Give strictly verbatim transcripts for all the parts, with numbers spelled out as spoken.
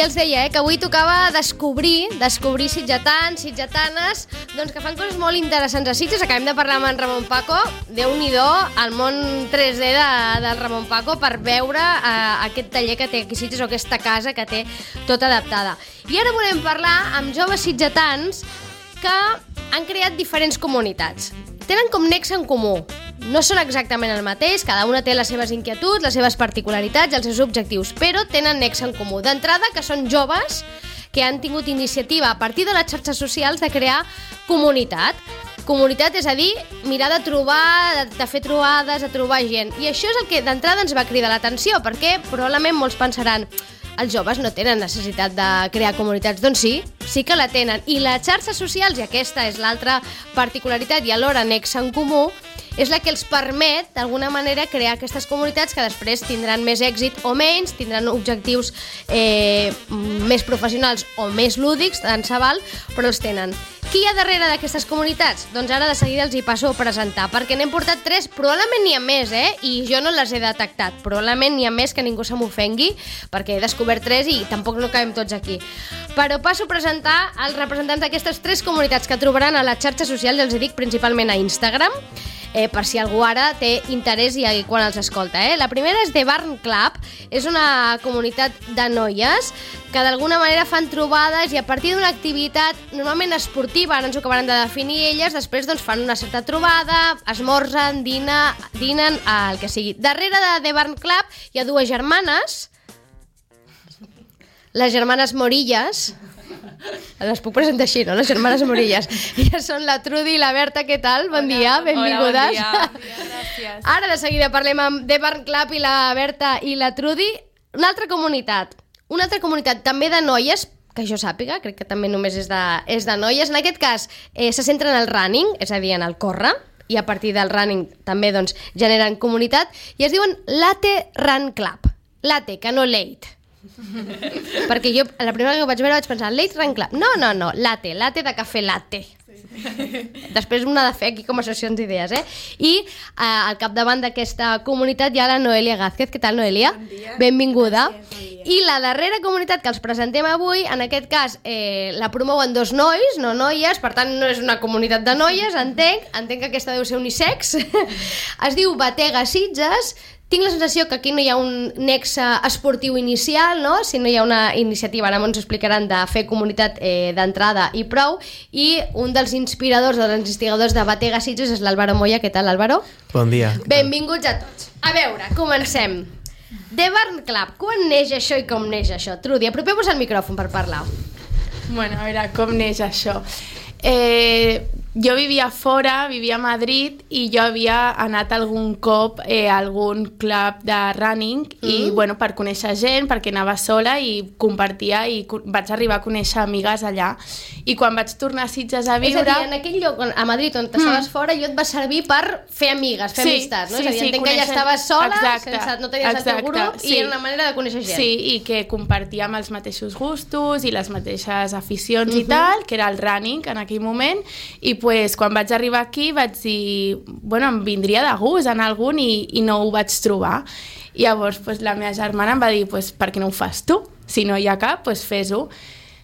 els deia, eh, que avui tocava descobrir, descobrir sitgetans, sitgetanes, doncs que fan coses molt interessants a Sitges. Acabem de parlar amb en Ramon Paco, Déu-n'hi-do, el món tres D de, del Ramon Paco, per veure eh, aquest taller que té aquí a Sitges, o aquesta casa que té tota adaptada. I ara volem parlar amb joves sitgetans que han creat diferents comunitats. Tenen com nexe en comú. No són exactament el mateix, cada una té les seves inquietuds, les seves particularitats i els seus objectius, però tenen nexe en comú. D'entrada, que són joves que han tingut iniciativa a partir de les xarxes socials de crear comunitat. Comunitat, és a dir, mirar de trobar, de, de fer trobades, de trobar gent. I això és el que d'entrada ens va cridar l'atenció, perquè probablement molts pensaran: els joves no tenen necessitat de crear comunitats. Doncs sí, sí que la tenen. I les xarxes socials, i aquesta és l'altra particularitat i alhora nexe en comú, és la que els permet, d'alguna manera, crear aquestes comunitats que després tindran més èxit o menys, tindran objectius eh, més professionals o més lúdics, tant se val, però els tenen. Qui hi ha darrere d'aquestes comunitats? Doncs ara de seguida els hi passo a presentar, perquè n'hem portat tres, probablement n'hi ha més, eh? I jo no les he detectat. Probablement n'hi ha més, que ningú se m'ofengui, perquè he descobert tres i tampoc no cabem tots aquí. Però passo a presentar els representants d'aquestes tres comunitats que trobaran a les xarxes socials, els dic principalment a Instagram, eh, per si algú ara té interès i quan els escolta. Eh? La primera és The Barn Club, és una comunitat de noies que d'alguna manera fan trobades i a partir d'una activitat normalment esportiva, ara ens ho acabaran de definir elles, després doncs, fan una certa trobada, esmorzen, dina, dinen, el que sigui. Darrere de The Barn Club hi ha dues germanes, les germanes Morillas. Les puc presentar així, no? Les germanes Morillas. Ja són la Trudy i la Berta, què tal? Bon hola, dia, benvingudes. Hola, bon dia. Gràcies. Ara de seguida parlem amb The Barn Club i la Berta i la Trudy. Una altra comunitat, una altra comunitat també de noies, que jo sàpiga, crec que també només és de, és de noies. En aquest cas eh, se centren en el running, és a dir, en el córrer, i a partir del running també doncs, generen comunitat, i es diuen Latte Run Club. Latte, que no late. Perquè jo, la primera que ho vaig veure vaig pensar Late Run Club, no, no, no, latte, latte de cafè latte. Després una de fer aquí com a sessions d'idees, eh? I eh, al capdavant d'aquesta comunitat hi ha la Noelia Gázquez. Què tal, Noelia? Bon dia. Benvinguda. Gràcies, bon dia. I la darrera comunitat que els presentem avui, en aquest cas eh, la promouen dos nois, no noies, per tant no és una comunitat de noies, entenc, entenc que aquesta deu ser unisex. Es diu Batega Sitges. Tinc la sensació que aquí no hi ha un nexe esportiu inicial, no? Si no hi ha una iniciativa, ara ens explicaran, de fer comunitat eh, d'entrada i prou, i un dels inspiradors, dels investigadors de Batega Sitges és l'Álvaro Moya. Què tal, Álvaro? Bon dia. Benvinguts a tots. A veure, comencem. The Barn Club, quan neix això i com neix això? Trudy, apropeu-vos al micròfon per parlar. Bueno, a veure, com neix això? Eh, jo vivia fora, vivia a Madrid, i jo havia anat algun cop eh, a algun club de running mm. i bueno, per conèixer gent, perquè anava sola i compartia, i vaig arribar a conèixer amigues allà. I quan vaig tornar a Sitges a viure... És a dir, en aquell lloc, a Madrid, on estaves mm. fora, jo et va servir per fer amigues, fer sí, amistats, no? Sí, és a dir, sí, entenc conèixer... que ja estaves sola, exacte, sense, no tenies exacte, el teu grup, sí. I era una manera de conèixer gent. Sí, i que compartíem els mateixos gustos i les mateixes aficions mm-hmm. i tal, que era el running en aquell moment, i pues, quan vaig arribar aquí vaig dir, bueno, em vindria de gust anar a algun i, i no ho vaig trobar. I llavors pues, la meva germana em va dir, pues, per què no ho fas tu? Si no hi ha cap, pues, fes-ho.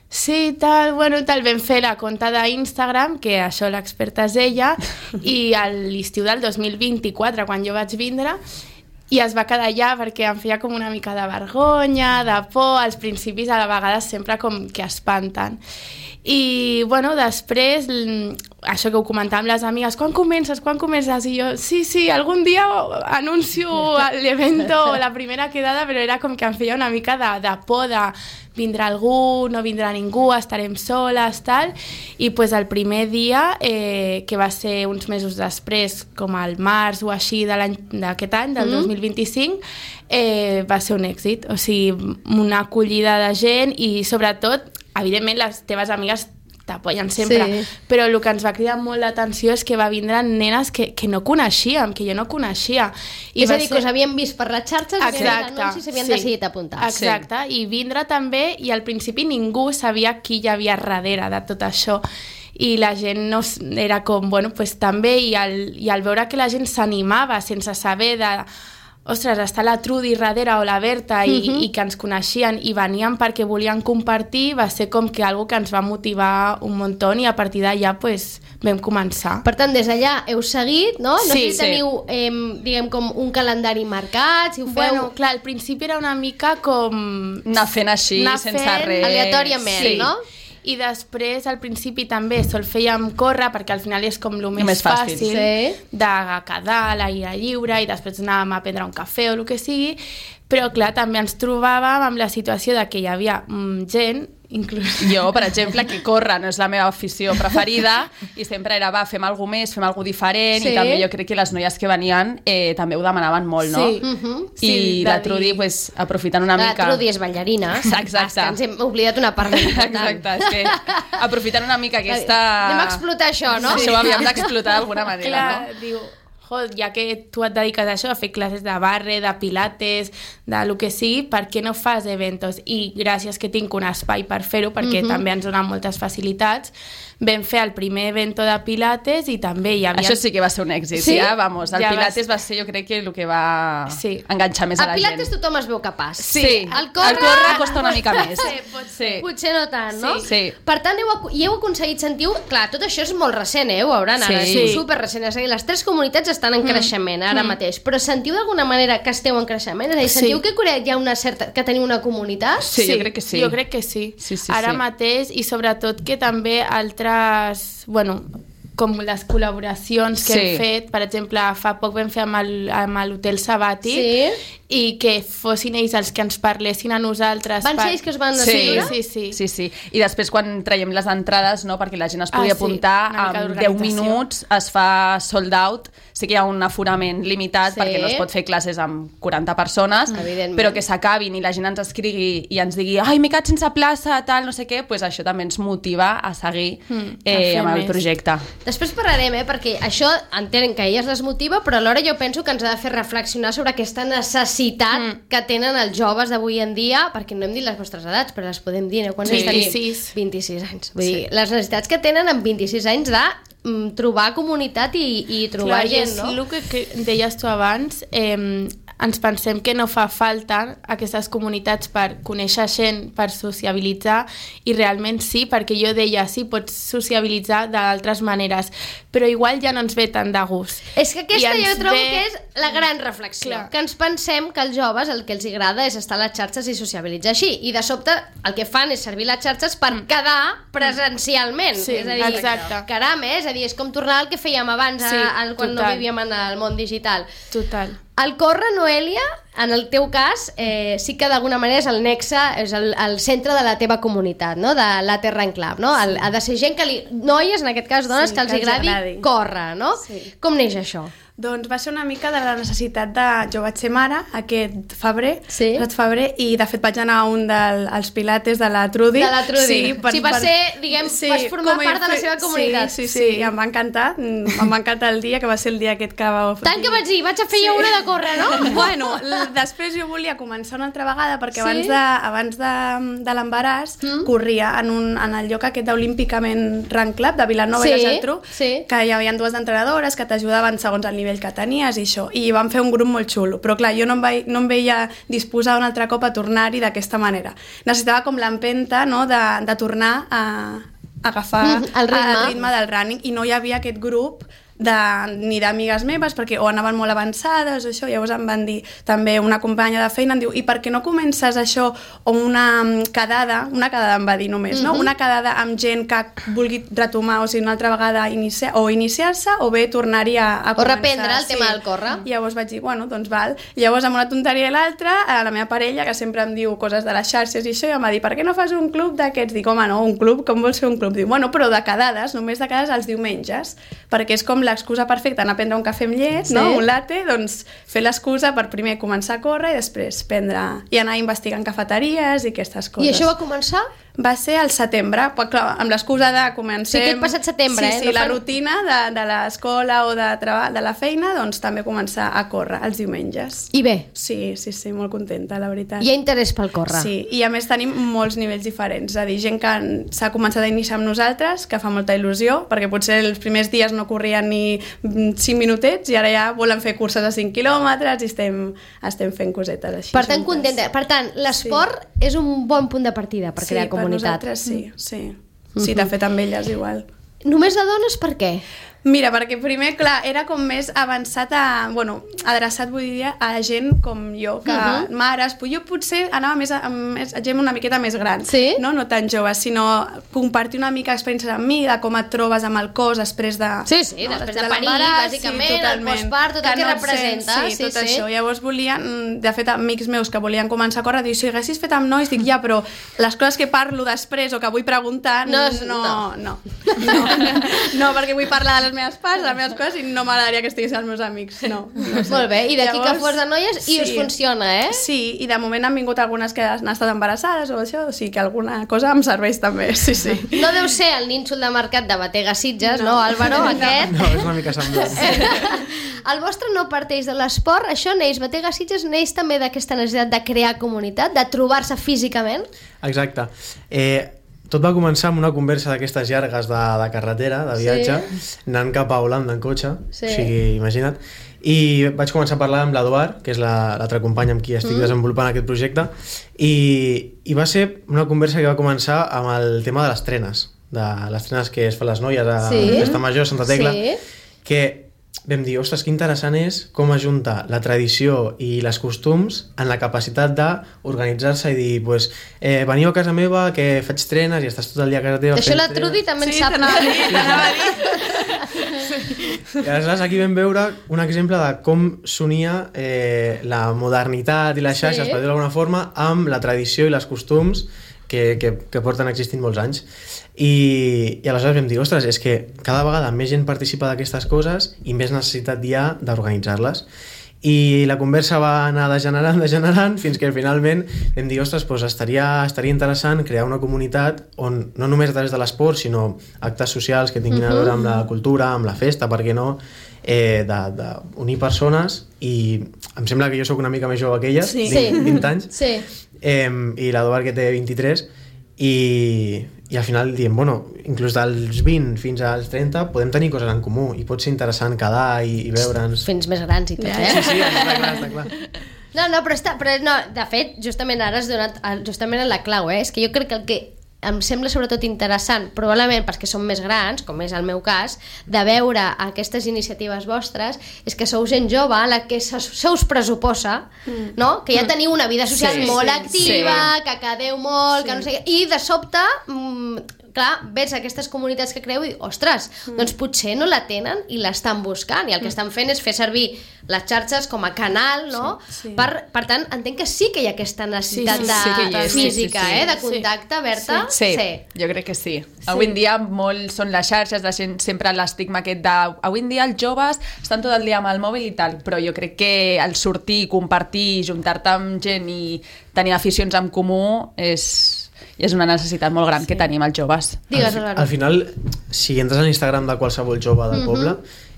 Sí, tal, bueno, tal, vam fer la compte d'Instagram, que això l'experta és ella, i a l'estiu del dos mil vint-i-quatre, quan jo vaig vindre, i es va quedar allà perquè em feia com una mica de vergonya, de por, als principis a la vegada sempre com que espanten. I, bueno, després, això que ho comentàvem les amigues, quan comences, quan comences? I jo, sí, sí, algun dia anuncio l'evento, la primera quedada, però era com que em feia una mica de, de por, de vindrà algú, no vindrà ningú, estarem soles, tal. I pues, el primer dia, eh, que va ser uns mesos després, com al març o així de l'any d'aquest any, del mm. dos mil vint-i-cinc, eh, va ser un èxit. O sigui, una acollida de gent i, sobretot, evidentment, les teves amigues t'apoyen sempre, sí. Però el que ens va cridar molt l'atenció és que va vindre nenes que, que no coneixíem, que jo no coneixia. I és a dir, ser... que us havien vist per les xarxes, exacte, i anuncis s'havien sí. decidit apuntar. Exacte, sí. I vindre també, i al principi ningú sabia qui hi havia darrere de tot això. I la gent no, era com, bueno, pues també, i al, i al veure que la gent s'animava sense saber de ostres, està la Trudi darrere o la Berta i, uh-huh. i que ens coneixien i venien perquè volien compartir, va ser com que algo que ens va motivar un muntó i a partir d'allà pues, vam començar. Per tant, des d'allà heu seguit, no? No sí, sé si teniu, sí. eh, diguem, com un calendari marcat, si ho feu... Bueno, clar, al principi era una mica com... Anar fent així, anar sense fent res. Aleatòriament, sí. no? I després, al principi també sol fèiem córrer, perquè al final és com el més, més fàcil, fàcil sí. de quedar a l'aire lliure i després anàvem a prendre un cafè o el que sigui, però clar, també ens trobàvem amb la situació de que hi havia mm, gent, inclús... Jo, per exemple, que córrer no és la meva afició preferida i sempre era, va, fem alguna més, fem alguna diferent sí. i també jo crec que les noies que venien eh, també ho demanaven molt, no? Sí. Uh-huh. I sí, la Trudi, pues, aprofitant una la mica... La Trudi és ballarina. Exacte. Ens hem oblidat una part important. Exacte, és que aprofitant una mica aquesta... Anem a explotar això, no? Sí. Això ho havíem d'explotar d'alguna manera, clar, no? Diu, ja que tu et dediques a això, a fer classes de barre, de pilates, de lo que sigui, per què no fas eventos? I gràcies que tinc un espai per fer-ho, perquè uh-huh. també ens donen moltes facilitats, vam fer el primer evento de pilates i també hi havia... Això sí que va ser un èxit, sí? ja, vamos. El ja pilates va... va ser, jo crec que el que va sí. enganxar més a, a la gent. pilates tothom es veu capaç. Sí, el córrer, el córrer costa una mica més. Sí, pot ser. Potser no tant, no? Sí. sí. Per tant, heu, i heu aconseguit, sentiu... Clar, tot això és molt recent, eh? Ho veuran ara, Sí. és super recent. És a dir, les tres comunitats estan en creixement ara Mm. mateix, però sentiu d'alguna manera que esteu en creixement? És a dir, sentiu Sí. que a Corea hi ha una certa... que teniu una comunitat? Sí, jo crec que sí. Jo crec que sí. Sí, sí, Ara sí. mateix, i sobretot que també altres, bueno, com les col·laboracions que Sí. hem fet, per exemple, fa poc vam fer amb el- amb l'Hotel Sabàtic Sí. i que fossin ells els que ens parlessin a nosaltres. Van per- ser ells que us van Sí, escriure? Sí, sí. Sí, sí. I després quan traiem les entrades, no, perquè la gent es podia Ah, sí, apuntar, una mica en deu d'organització. minuts es fa sold out. Sí que hi ha un aforament limitat Sí. perquè no es pot fer classes amb quaranta persones, Evidentment. però que s'acabin i la gent ens escrigui i ens digui ai, m'he quedat sense plaça, tal, no sé què, pues això també ens motiva a seguir Mm, eh, a fer amb el més. projecte. Després parlarem, eh, perquè això entenc que a elles les motiva, però alhora jo penso que ens ha de fer reflexionar sobre aquesta necessitat mm. que tenen els joves d'avui en dia, perquè no hem dit les vostres edats, però les podem dir, eh? Quants Sí, anys tenim? vint-i-sis. vint-i-sis anys. Vull Sí. dir, les necessitats que tenen amb vint-i-sis anys de mm, trobar comunitat i, i trobar Clar, gent, és no? el que, que deies tu abans, eh, ens pensem que no fa falta aquestes comunitats per conèixer gent, per sociabilitzar, i realment sí, perquè jo deia, sí, pots sociabilitzar d'altres maneres, però igual ja no ens ve tant de gust. És que aquesta I jo ens trobo ve- que és la gran reflexió, Clar. que ens pensem que els joves el que els agrada és estar a les xarxes i sociabilitzar així, i de sobte el que fan és servir les xarxes per mm. quedar presencialment. Sí, és a dir, exacte. caram, eh? És a dir, és com tornar al que fèiem abans, Sí, a, a, quan no total. vivíem en el món digital. Total. El córrer, Noelia, en el teu cas, eh, sí que d'alguna manera és el nexe, és el, el centre de la teva comunitat, no? De la Terra en Club, no? El, ha de ser gent que li... Noies, en aquest cas, dones, Sí, que els que els agradi, agradi. córrer, no? Sí. Com neix això? Doncs va ser una mica de la necessitat de... Jo vaig ser mare aquest febrer, Sí. aquest febrer, i de fet vaig anar a un dels pilates de la Trudi. De la Trudi. Sí, Sí, va ser, diguem, vas formar com a part de la fer- seva comunitat. Sí, sí, sí, i em va encantar, em va encantar el dia, que va ser el dia aquest que va... Tant que vaig dir, vaig a fer jo una de córrer, no? Bueno, l- després jo volia començar una altra vegada perquè Sí? abans de, abans de, de l'embaràs Mm. corria en, un, en el lloc aquest d'Olímpicament Run Club de Vilanova Sí, i la Geltrú, sí. que hi havia dues entrenadores que t'ajudaven segons el nivell que tenies i això, i van fer un grup molt xulo, però clar, jo no em, vaig, no em veia disposar un altre cop a tornar-hi d'aquesta manera. Necessitava com l'empenta, no?, de, de tornar a, a agafar Mm, el ritme. el ritme del running, i no hi havia aquest grup de, ni d'amigues meves, perquè o anaven molt avançades o això, llavors em van dir també una companya de feina, em diu, i per què no comences això o una mm, quedada, una quedada em va dir només, mm -hmm. no? Una quedada amb gent que vulgui retomar, o sigui, una altra vegada inicia, o iniciar-se o bé tornar-hi a, a O començar. reprendre el tema del córrer. I llavors vaig dir, bueno, doncs val. Llavors, amb una tonteria i l'altra, a la meva parella, que sempre em diu coses de les xarxes i això, i em va dir, per què no fas un club d'aquests? Dic, home, no, un club, com vols fer un club? Diu, bueno, però de quedades, només de quedades els diumenges, perquè és com l'excusa perfecta, anar a prendre un cafè amb llet, Sí. no? Un latte, doncs fer l'excusa per primer començar a córrer i després prendre i anar investigant cafeteries i aquestes coses. I això va començar? Va ser al setembre, però clar, amb l'excusa de comencem... Sí, aquest passat setembre, sí, eh? Sí, no la fan... rutina de, de l'escola o de, treball, de la feina, doncs també començar a córrer els diumenges. I bé? Sí, sí, sí, molt contenta, la veritat. Hi ha interès pel córrer. Sí, i a més tenim molts nivells diferents, és a dir, gent que s'ha començat a iniciar amb nosaltres, que fa molta il·lusió, perquè potser els primers dies no corrien ni cinc minutets i ara ja volen fer curses de cinc quilòmetres i estem, estem fent cosetes així. Per tant, contenta. Per tant, l'esport sí. és un bon punt de partida per sí, crear comunitat. Sí, per nosaltres sí, sí. Mm-hmm. Sí, de fet amb elles igual. Només de dones per què? Mira, perquè primer, clar, era com més avançat a... Bueno, adreçat, vull dir, a gent com jo, que uh-huh. mares... Jo potser anava més a, a més, a gent una miqueta més gran, sí? no? No tan joves, sinó compartir una mica experiències amb mi, de com et trobes amb el cos després de... Sí, sí, no, després de, de parir, bàsicament, sí, el postpart, tot el que, que no representa. Sent, sí, sí, tot sí. això. Llavors volien, de fet, amics meus que volien començar a córrer, diuen, si haguessis fet amb nois, dic, ja, però les coses que parlo després o que vull preguntar, no, no, no. No, no, no perquè vull parlar de les meves parts, les meves coses, i no m'agradaria que estiguessin els meus amics, no. no sé. Molt bé, i d'aquí que fos de noies i sí, us funciona, eh? Sí, i de moment han vingut algunes que han estat embarassades o això, o sigui que alguna cosa em serveix també, sí, sí. No deu ser el nínxol de mercat de Batega Sitges, no, no Álvaro, aquest? No, és una mica semblant. El vostre no parteix de l'esport, això neix, Batega Sitges neix també d'aquesta necessitat de crear comunitat, de trobar-se físicament? Exacte. Eh, tot va començar amb una conversa d'aquestes llargues de, de carretera, de viatge, sí. anant cap a Holanda en cotxe, sí. o sigui, imagina't. I vaig començar a parlar amb l'Eduard, que és l'altra companya amb qui estic mm. desenvolupant aquest projecte, i, i va ser una conversa que va començar amb el tema de les trenes, de les trenes que es fan les noies a sí. Festa Major, Santa Tecla, sí. que vam dir, ostres, que interessant és com ajuntar la tradició i les costums en la capacitat d'organitzar-se i dir, pues, eh, veniu a casa meva que faig trenes i estàs tot el dia a casa teva. Això la Trudi també en sí, sap. T'anava a dir, t'anava a dir. Sí. I aleshores aquí vam veure un exemple de com s'unia eh, la modernitat i les xarxes, sí. per dir-ho d'alguna forma, amb la tradició i les costums que, que, que porten existint molts anys. I, i aleshores vam dir, ostres, és que cada vegada més gent participa d'aquestes coses i més necessitat hi ha d'organitzar-les. I la conversa va anar degenerant, degenerant, fins que finalment vam dir, ostres, doncs estaria, estaria interessant crear una comunitat on no només a través de l'esport, sinó actes socials que tinguin a veure amb la cultura, amb la festa, per què no, eh, d'unir persones. I em sembla que jo sóc una mica més jove que ella, sí. vint, vint anys, sí. eh, i l'Eduard que té vint-i-tres, i, i al final diem, bueno, inclús dels vint fins als trenta podem tenir coses en comú i pot ser interessant quedar i, i veure'ns. Fins més grans i tot, eh? Sí, sí, està clar, està clar. No, no, però, està, però no, de fet, justament ara has donat justament en la clau, eh? És que jo crec que el que em sembla sobretot interessant, probablement perquè som més grans, com és el meu cas, de veure aquestes iniciatives vostres, és que sou gent jove a la que se, se us pressuposa, mm. no? Que ja teniu una vida social sí, molt sí, activa, sí. que quedeu molt, sí. que no sé què, i de sobte, mm, clar, ves aquestes comunitats que creu i, ostres, mm. doncs potser no la tenen i l'estan buscant, i el que estan fent és fer servir les xarxes com a canal, no? Sí, sí. Per, per tant, entenc que sí que hi ha aquesta necessitat sí, sí, sí, de, sí, física, sí, sí, sí. Eh, de contacte, sí. Berta? Sí. Sí, sí, jo crec que sí. sí. Avui en dia molt són les xarxes, de gent, sempre l'estigma aquest de... Avui en dia els joves estan tot el dia amb el mòbil i tal, però jo crec que el sortir, compartir, juntar-te amb gent i tenir aficions en comú és... i és una necessitat molt gran sí. que tenim els joves. Digues, al, al final, si entres a l'Instagram de qualsevol jove del uh-huh. poble,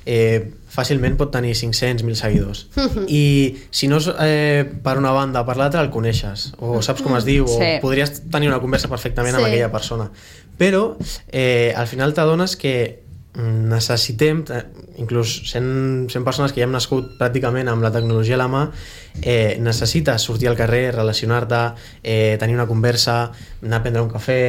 eh, fàcilment pot tenir cinc-cents mil seguidors. Uh-huh. I si no és eh, per una banda o per l'altra, el coneixes, o saps com es diu, sí. o podries tenir una conversa perfectament sí. amb aquella persona. Però eh, al final t'adones que necessitem, inclús sent, sent persones que ja hem nascut pràcticament amb la tecnologia a la mà, eh, necessites sortir al carrer, relacionar-te, eh, tenir una conversa, anar a prendre un cafè,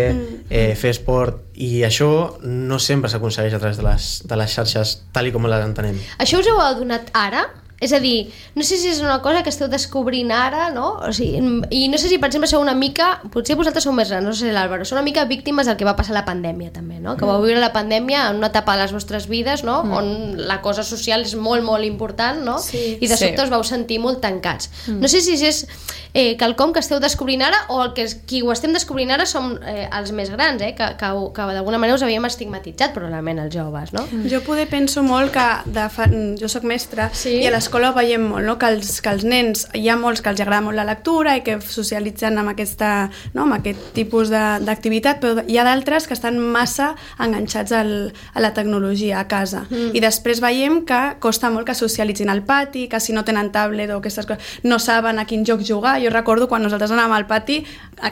eh, fer esport, i això no sempre s'aconsegueix a través de les, de les xarxes tal i com les entenem. Això us heu adonat ara? És a dir, no sé si és una cosa que esteu descobrint ara, no? O sigui, i no sé si, per exemple, sou una mica... Potser vosaltres sou més grans, no sé l'Àlvaro, sou una mica víctimes del que va passar a la pandèmia, també, no? Que vau viure la pandèmia en una etapa de les vostres vides, no? Mm. On la cosa social és molt, molt important, no? Sí. I de sobte sí. us vau sentir molt tancats. Mm. No sé si és eh, quelcom que esteu descobrint ara o el que qui ho estem descobrint ara som eh, els més grans, eh? Que, que, que d'alguna manera us havíem estigmatitzat, probablement, els joves, no? Mm. Jo poder penso molt que de fa... jo soc mestra sí. i a l'escola l'escola ho veiem molt, no? que, els, que els nens, hi ha molts que els agrada molt la lectura i que socialitzen amb, aquesta, no? amb aquest tipus d'activitat, però hi ha d'altres que estan massa enganxats al, a la tecnologia a casa. Mm. I després veiem que costa molt que socialitzin al pati, que si no tenen tablet o aquestes coses, no saben a quin joc jugar. Jo recordo quan nosaltres anàvem al pati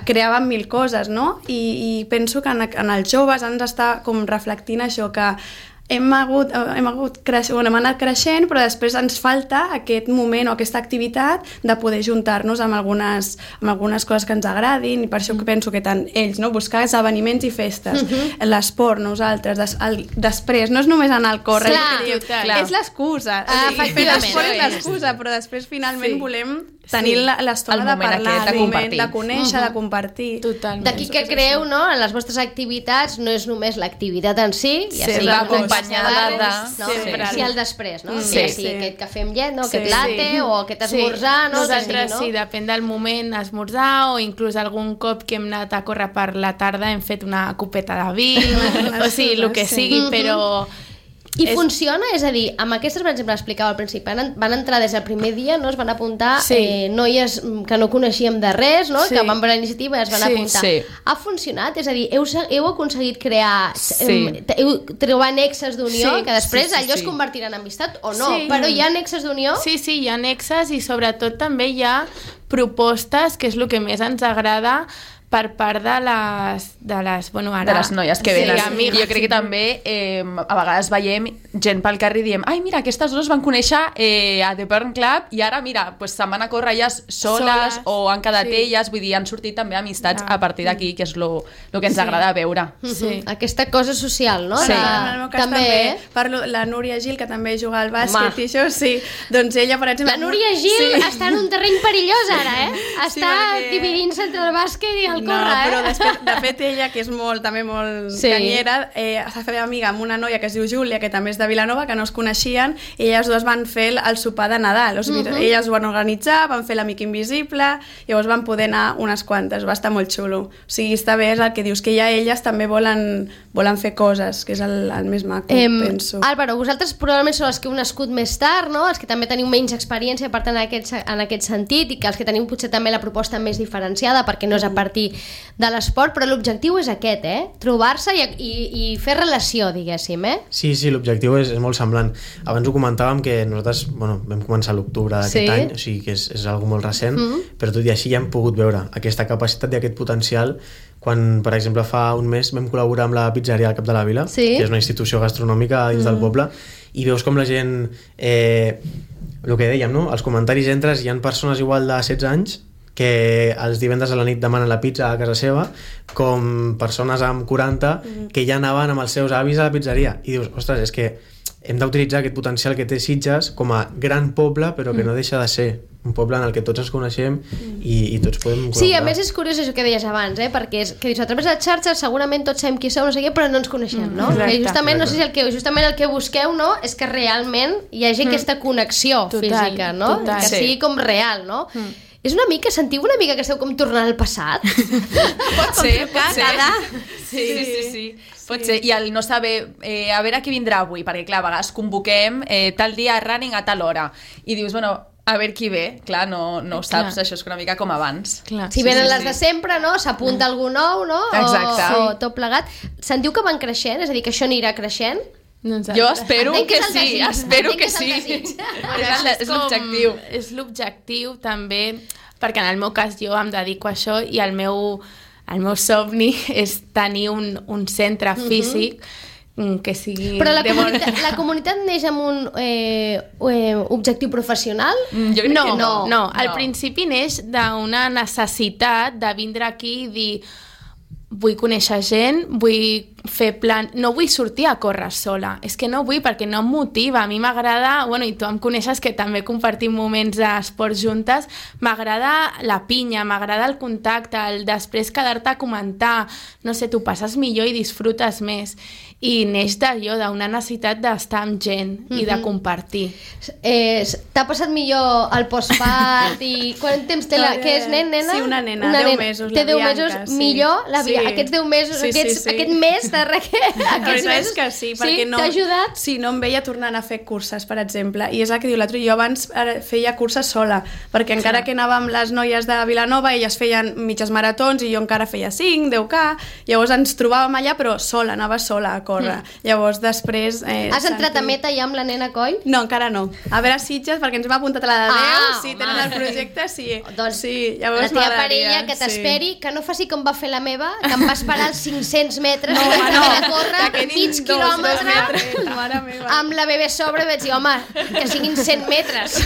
creàvem mil coses, no? I, i penso que en, en els joves ens està com reflectint això, que hem hagut, hem, hagut creix, bueno, hem anat creixent, però després ens falta aquest moment o aquesta activitat de poder juntar-nos amb algunes, amb algunes coses que ens agradin, i per això que penso que tant ells, no? buscar esdeveniments i festes, uh-huh. l'esport, nosaltres, des, el, després, no és només anar al córrer, és l'excusa, ah, fer l'esport és l'excusa, però després finalment sí. volem tenir sí. l'estona de parlar, aquest, de, compartir. de conèixer, uh-huh. de compartir. Totalment. D'aquí que creu, no?, en les vostres activitats no és només l'activitat en si, ja sí, sigui acompanyada de... No? Sí. Sí, el després, no? Sí, ja sigui sí. aquest cafè amb llet, no? aquest sí, latte sí. o aquest esmorzar, sí. no? Nosaltres sí, no? sí, depèn del moment, esmorzar, o inclús algun cop que hem anat a córrer per la tarda hem fet una copeta de vi, o sigui, el que sigui, però... I és... funciona? És a dir, amb aquestes, per exemple, explicava al principi, van, van entrar des del primer dia, no? Es van apuntar sí. eh, noies que no coneixíem de res, no? Sí. que van per la iniciativa i es van sí, apuntar. Sí. Ha funcionat? És a dir, heu, heu aconseguit crear, sí. eh, heu, trobar nexes d'unió, sí. que després sí, sí, allò sí. es convertirà en amistat o no, sí. però hi ha nexes d'unió? Sí, sí, hi ha nexes i sobretot també hi ha propostes, que és el que més ens agrada, per part de les, de les, bueno, ara... de les noies que venen. Sí, amigues. Jo crec que també eh, a vegades veiem gent pel carrer i diem, ai, mira, aquestes dues van conèixer eh, a The Burn Club i ara, mira, pues, se'n van a córrer elles soles, soles o han quedat sí. elles, vull dir, han sortit també amistats ah. a partir d'aquí, que és lo, lo que ens sí. agrada veure. Sí. Aquesta cosa social, no? Sí. En el meu cas també, també parlo, la Núria Gil, que també juga al bàsquet Home. i això, sí, doncs ella, per exemple... La Núria Gil sí. està en un terreny perillós ara, eh? Està sí, perquè... dividint-se entre el bàsquet i el no, córrer, eh? Però després, de fet, ella, que és molt, també molt sí. canyera, eh, s'ha fet amiga amb una noia que es diu Júlia, que també és de Vilanova, que no es coneixien, i elles dues van fer el, el sopar de Nadal. O sigui, uh -huh. elles ho van organitzar, van fer l'amic invisible, llavors van poder anar unes quantes, va estar molt xulo. O sigui, està bé, és el que dius, que ja elles també volen, volen fer coses, que és el, el més maco, eh, penso. Álvaro, vosaltres probablement sou els que heu nascut més tard, no? Els que també teniu menys experiència, per tant, en aquest, en aquest sentit, i que els que teniu potser també la proposta més diferenciada, perquè no és a partir de l'esport, però l'objectiu és aquest, eh? Trobar-se i, i, i fer relació, diguéssim, eh? Sí, sí, l'objectiu és, és molt semblant. Abans ho comentàvem que nosaltres, bueno, vam començar a l'octubre d'aquest sí. any, o sigui que és, és algo molt recent, mm -hmm. però tot i així ja hem pogut veure aquesta capacitat i aquest potencial quan, per exemple, fa un mes vam col·laborar amb la pizzeria al Cap de la Vila, sí. que és una institució gastronòmica dins mm. del poble, i veus com la gent, eh, el que dèiem, no? Els comentaris entres, hi ha persones igual de setze anys que els divendres a la nit demanen la pizza a casa seva, com persones amb quaranta que ja anaven amb els seus avis a la pizzeria, i dius, ostres, és que hem d'utilitzar aquest potencial que té Sitges com a gran poble, però que no deixa de ser un poble en el que tots ens coneixem i, i tots podem col·laborar. Sí, a més és curiós això que deies abans, eh? Perquè és, que dius, a través de les xarxes segurament tots sabem qui som, no sé què, però no ens coneixem, no? Mm, que justament, no sé si el que, justament el que busqueu, no?, és que realment hi hagi mm. aquesta connexió total, física, no? Total. Que sigui com real, no? Mm. És una mica, sentiu una mica que esteu com tornant al passat? Pot ser, pot ser. Sí, sí, sí, sí. Pot ser. I el no saber, eh, a veure qui vindrà avui, perquè clar, a vegades convoquem eh, tal dia running a tal hora, i dius, bueno, a veure qui ve, clar, no, no ho saps, clar. Això és una mica com abans. Clar. Si venen sí, sí, les sí. de sempre, no? S'apunta algú nou, no? Exacte. O, o tot plegat. Sentiu que van creixent? És a dir, que això anirà creixent? Jo espero que, que sí, espero que, que sí. És l'objectiu. És l'objectiu també, perquè en el meu cas jo em dedico a això i el meu, el meu somni és tenir un, un centre físic uh-huh. que sigui... Però la comunitat, la comunitat neix amb un eh, eh, objectiu professional? Mm, jo crec no, que no. no. Al no. principi neix d'una necessitat de vindre aquí i dir vull conèixer gent, vull fer plan... No vull sortir a córrer sola. És que no vull perquè no em motiva. A mi m'agrada... Bueno, i tu em coneixes que també compartim moments d'esport juntes. M'agrada la pinya, m'agrada el contacte, el després quedar-te a comentar. No sé, tu passes millor i disfrutes més. I neix d'allò, d'una necessitat d'estar amb gent mm-hmm. i de compartir. Eh, T'ha passat millor el postpart i... Quant temps té la... Què és, nen, nena? Sí, una nena, una deu nena. mesos, té la deu Bianca. mesos sí. millor la Bianca. aquests deu mesos, Sí, sí, aquests, sí. aquest mes de requer, La aquests veritat mesos, és que sí, perquè no... t'ha ajudat? Sí, no em veia tornant a fer curses, per exemple. I és el que diu l'altre. Jo abans eh, feia curses sola, perquè encara que anava amb les noies de Vilanova, elles feien mitges maratons i jo encara feia cinc, deu K, llavors ens trobàvem allà, però sola, anava sola a córrer. Mm. Llavors després... Eh, Has entrat a Santi- meta ja amb la nena Coll? No, encara no. A veure Sitges, perquè ens hem apuntat a la de deu, Ah, sí, home. tenen el projecte, sí. Doncs sí, la llavors teva m'agradaria, parella que t'esperi, sí. que no faci com va fer la meva, que em va esperar els cinc-cents metres No, i vaig no, haver de córrer que quedin mig dos, quilòmetre dos metres, mare meva. amb la bebè sobre i vaig dir, home, que siguin cent metres.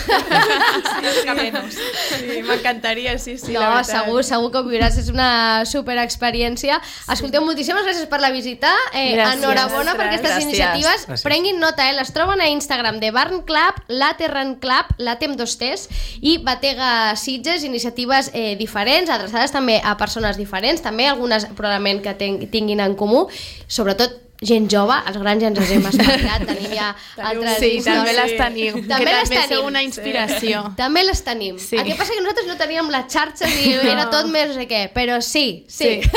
Sí, m'encantaria, sí, sí, No, la veritat. segur, segur que ho viuràs, és una superexperiència. Escolteu, moltíssimes gràcies per la visita. Eh, Gràcies. enhorabona per aquestes Gràcies. iniciatives. Gràcies. Prenguin nota, eh? Les troben a Instagram de Barn Club, Latte Run Club, Latte amb dos T's i Batega Sitges, iniciatives eh, diferents, adreçades també a persones diferents, també algunes probablement que ten tinguin en comú, sobretot gent jove, els grans ja ens els hem espavilat, tenim ja altres Sí, també històries. les tenim. També que les també tenim. sou una inspiració. També les tenim. Sí. El que passa que nosaltres no teníem les xarxes i era tot més no sé què, però sí, sí. Sí.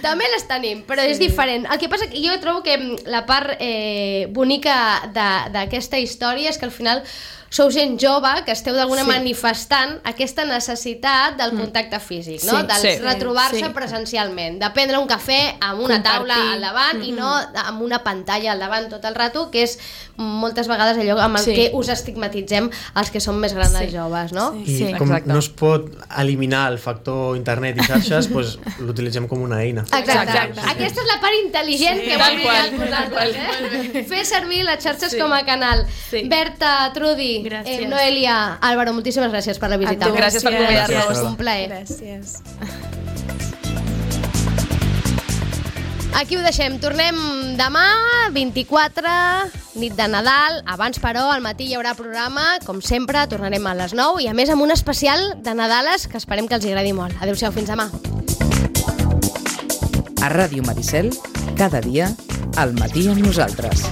També les tenim, però sí. és diferent. El que passa que jo trobo que la part eh, bonica de- d'aquesta història és que al final sou gent jove que esteu d'alguna Sí. manifestant aquesta necessitat del contacte físic, no? Sí, Del sí. retrobar-se Sí. presencialment, de prendre un cafè amb una Compartir. taula al davant i no amb una pantalla al davant tot el rato, que és moltes vegades allò amb el Sí. que us estigmatitzem els que som més grans Sí. i joves, no? I Sí, com exacte. no es pot eliminar el factor internet i xarxes, doncs l'utilitzem com una eina. Exacte. Exacte. Aquesta és la part intel·ligent Sí, que tal vol qual, dir vosaltres, eh? Fer servir les xarxes Sí. com a canal. Sí. Berta, Trudi, Gràcies. eh, Noelia, Álvaro, moltíssimes gràcies per la visita. A tu, gràcies per convidar-nos. Gràcies, un plaer. Gràcies. Aquí ho deixem. Tornem demà, vint-i-quatre, nit de Nadal. Abans, però, al matí hi haurà programa. Com sempre, tornarem a les nou i, a més, amb un especial de Nadales que esperem que els agradi molt. Adéu-siau, fins demà. A Ràdio Maricel, cada dia, al matí amb nosaltres.